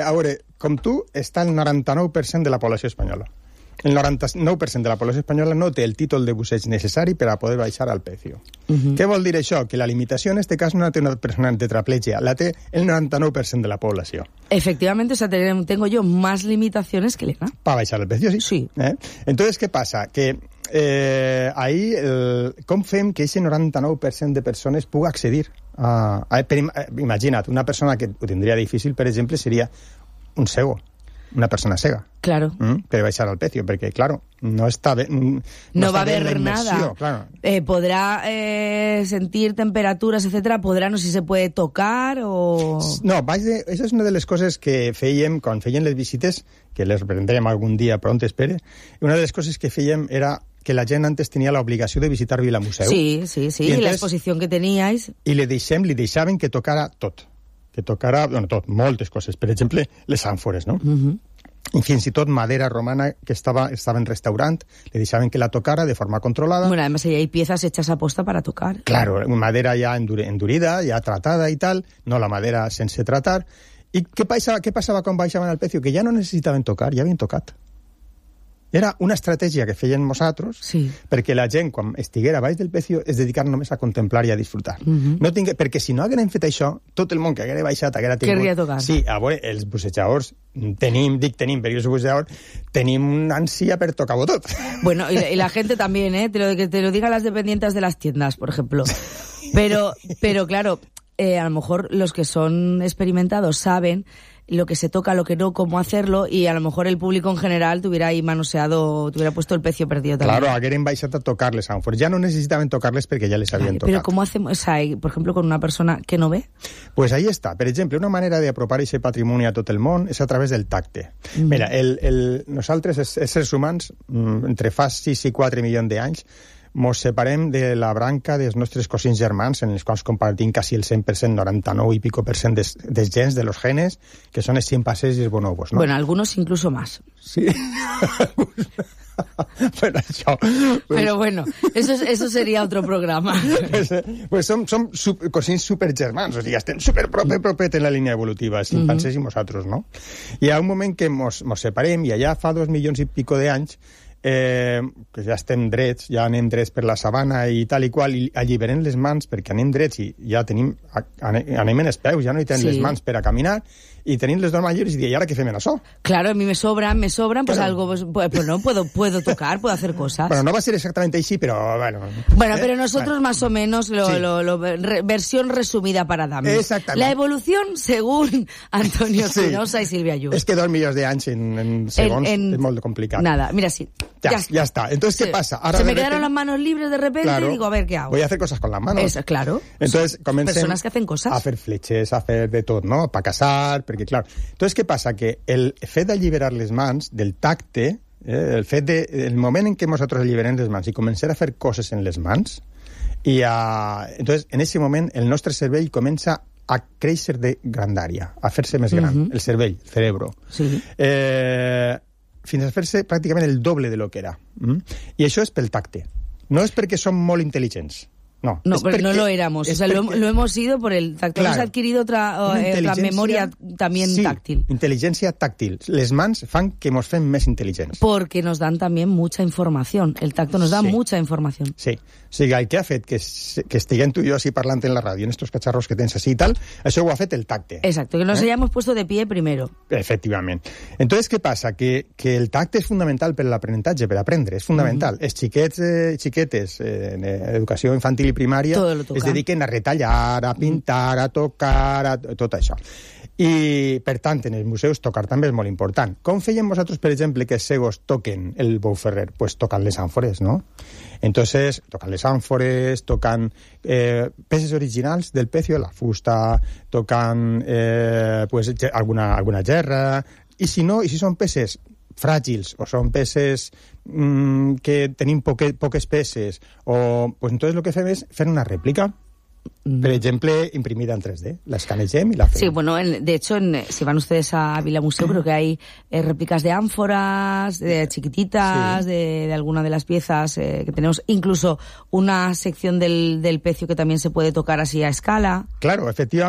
A veure, com tu, està el 99% de la població espanyola. El 99% de la població espanyola no té el títol de busseig necessari per a poder baixar al precio. Què vol dir això? Que la limitació en este cas no la té una persona tetraplegia, la té el 99% de la població. Efectivamente, o sea, tengo yo más limitaciones que Elena. Para baixar el precio, sí. Sí. Entonces, ¿qué pasa? Que ahí, com fem que ese 99% de persones pugui accedir a imagina't, una persona que ho tindria difícil, per exemple, seria un cego. Una persona cega. Claro. Per baixar el precio, perquè, claro, no està bé... No va a haber nada. Claro. Podrá sentir temperaturas, etcétera. Podrá, no sé si se puede tocar o... No, esa és una de les coses que fèiem quan feien les visites, que les reprendrem algun dia pront, espere. Una de les coses que fèiem era que la gent antes tenia l'obligació de visitar Vilamuseu. Sí, y la exposición que teníais. I li deixaven que tocara tot. Que tocara, bueno, tot, moltes coses. Per exemple, les àmfores, no? I fins i tot madera romana que estava en restaurant, le deixaven que la tocara de forma controlada. Bueno, además hay piezas hechas a posta para tocar. Claro, madera ya endurida, ya tratada y tal, no la madera sense tratar. I què passava quan baixaven el precio? Que ja no necessitaven tocar, ja havien tocat. Era una estratègia que feien nosaltres perquè la gent, quan estiguera baix del precio, es dedicar només a contemplar i a disfrutar. Perquè si no hagueren fet això, tot el món que haguera baixat haguera tingut... Querria tocar. Sí, a veure, els bussejadors tenim, perquè jo soy bussejador, tenim una ansia per tocar-ho tot. Bueno, y la gente también, que te lo digan las dependientes de las tiendas, por ejemplo. Pero claro, a lo mejor los que son experimentados saben lo que se toca, lo que no, cómo hacerlo, y a lo mejor el público en general te hubiera ahí manoseado, te hubiera puesto el precio perdido también. Claro, hagueren baixat a tocar-les àmfores. Ja no necessitaven tocar-les perquè ja les havien tocat. Pero ¿cómo hacemos, por ejemplo, con una persona que no ve? Pues ahí está. Per exemple, una manera d'apropar aquest patrimoni a tot el món és a través del tacte. Mira, nosaltres, els éssers humans, entre fa 6 i 4 milions d'anys, mos separem de la branca dels nostres cosins germans, en els quals compartim quasi el 100%, 99 y pico % dels gens, de los genes, que són els chimpancés i els bonobos, ¿no? Bueno, algunos incluso más. Sí. Bueno, això... Pero bueno, eso sería otro programa. Pues som cosins supergermans, o sigui, estem superpropet en la línia evolutiva, els chimpancés i nosaltres, no? Hi ha un moment que mos separem, i allà fa 2 milions i pico d'anys, que ja estem drets, ja anem drets per la sabana i tal i qual, i alliberem les mans perquè anem drets i ja anem en els peus, ja no hi tenim les mans per a caminar, y tenéis los dos mayores y ahora qué hacen eso. Claro, a mí me sobran, pues algo, pues no, puedo tocar, puedo hacer cosas. Bueno, no va a ser exactamente así, pero bueno. Bueno, pero nosotros más o menos, versión resumida para dames. Exactamente. La evolución según Antonio Espinosa y Silvia Ayub. Es que 2 milions d'anys en segons es molt complicat. Nada, mira, sí. Ya está. Entonces, ¿qué pasa? Ahora se me quedaron las manos libres de repente y digo, a ver qué hago. Voy a hacer cosas con las manos. Claro. Entonces, comencem personas que hacen cosas. A hacer fletxes, a fer de tot, no? Para casar, perquè, clar... Entonces, què passa? Que el fet d'alliberar les mans, del tacte, el moment en què nosaltres alliberem les mans i començar a fer coses en les mans, entonces, en ese moment, el nostre cervell comença a créixer de grandària, a fer-se més gran, el cervell, el cerebro. Sí. Fins a fer-se pràcticament el doble de lo que era. I això és pel tacte. No és perquè som molt intel·ligents. No, pero no lo éramos. O sea, lo hemos ido por el tacto. Claro, hemos adquirido otra memoria también táctil. Inteligencia táctil. Les mans fan que nos fem més intel·ligents. Porque nos dan también mucha información. El tacto nos da mucha información. Sí. O sigui, el que ha fet que estiguem tu i jo així parlant en la ràdio, en estos cacharros que tens així i tal, això ho ha fet el tacte. Exacto, que nos hayamos puesto de pie primero. Efectivament. Entonces, què passa? Que el tacte és fundamental per l'aprenentatge, per aprendre, és fundamental. Els xiquets, xiquetes, en educació infantil i primària es dediquen a retallar, a pintar, a tocar, a tot això. I, per tant, en els museus tocar també és molt important. Com feien vosaltres, per exemple, que els cegos toquen el bou ferrer? Pues tocan les àmfores, ¿no? Entonces, tocan les àmfores, tocan peces originals del pecio, la fusta, tocan pues alguna gerra, i si no, i si són peces fràgils o són peces que tenim poques peces, o pues entonces lo que fem és fer una rèplica. Por ejemplo, imprimida en 3D. La escanegem y la hacemos. Sí, bueno, de hecho, si van ustedes a Vilamuseu, creo que hay réplicas de ánforas, de chiquititas, de alguna de las piezas que tenemos. Incluso una sección del pecio que también se puede tocar así a escala. Claro, efectivamente.